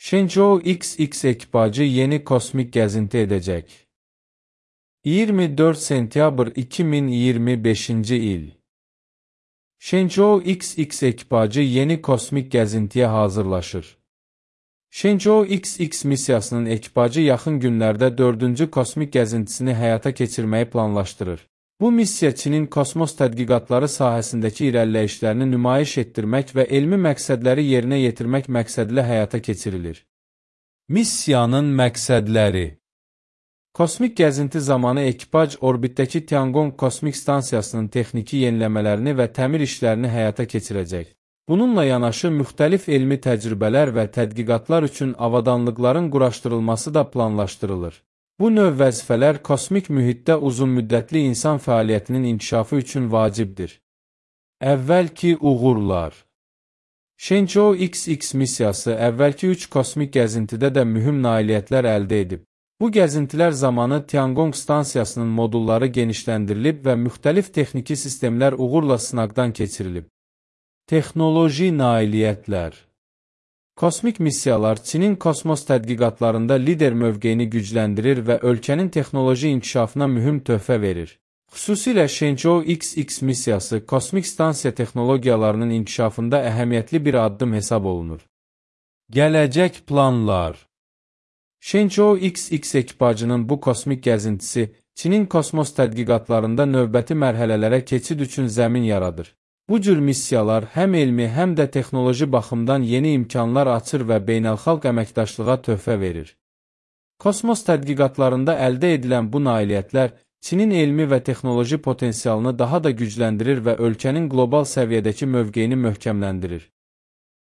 Shenzhou XX ekipajı yeni kosmik gəzinti edəcək. 24 sentyabr 2025-ci il. Shenzhou XX ekipajı yeni kosmik gəzintiyə hazırlaşır. Shenzhou XX missiyasının ekipajı yaxın günlərdə 4-cü kosmik gəzintisini həyata keçirməyi planlaşdırır. Bu missiya Çinin kosmos tədqiqatları sahəsindəki irəliləyişlərini nümayiş etdirmək və elmi məqsədləri yerinə yetirmək məqsədilə həyata keçirilir. Missiyanın məqsədləri: Kosmik gəzinti zamanı ekipaj orbitdəki Tiangong kosmik stansiyasının texniki yeniləmələrini və təmir işlərini həyata keçirəcək. Bununla yanaşı, müxtəlif elmi təcrübələr və tədqiqatlar üçün avadanlıqların quraşdırılması da planlaşdırılır. Bu növ vəzifələr kosmik mühitdə uzunmüddətli insan fəaliyyətinin inkişafı üçün vacibdir. Əvvəlki uğurlar: Shenzhou XX missiyası əvvəlki 3 kosmik gəzintidə də mühüm nailiyyətlər əldə edib. Bu gəzintilər zamanı Tiangong stansiyasının modulları genişləndirilib və müxtəlif texniki sistemlər uğurla sınaqdan keçirilib. Texnoloji nailiyyətlər: Kosmik missiyalar Çinin kosmos tədqiqatlarında lider mövqeyini gücləndirir və ölkənin texnoloji inkişafına mühüm töhfə verir. Xüsusilə Shenzhou XX missiyası kosmik stansiya texnologiyalarının inkişafında əhəmiyyətli bir addım hesab olunur. Gələcək planlar: Shenzhou XX ekipajının bu kosmik gəzintisi Çinin kosmos tədqiqatlarında növbəti mərhələlərə keçid üçün zəmin yaradır. Bu cür missiyalar həm elmi, həm də texnoloji baxımdan yeni imkanlar açır və beynəlxalq əməkdaşlığa töhfə verir. Kosmos tədqiqatlarında əldə edilən bu nailiyyətlər Çinin elmi və texnoloji potensialını daha da gücləndirir və ölkənin qlobal səviyyədəki mövqeyini möhkəmləndirir.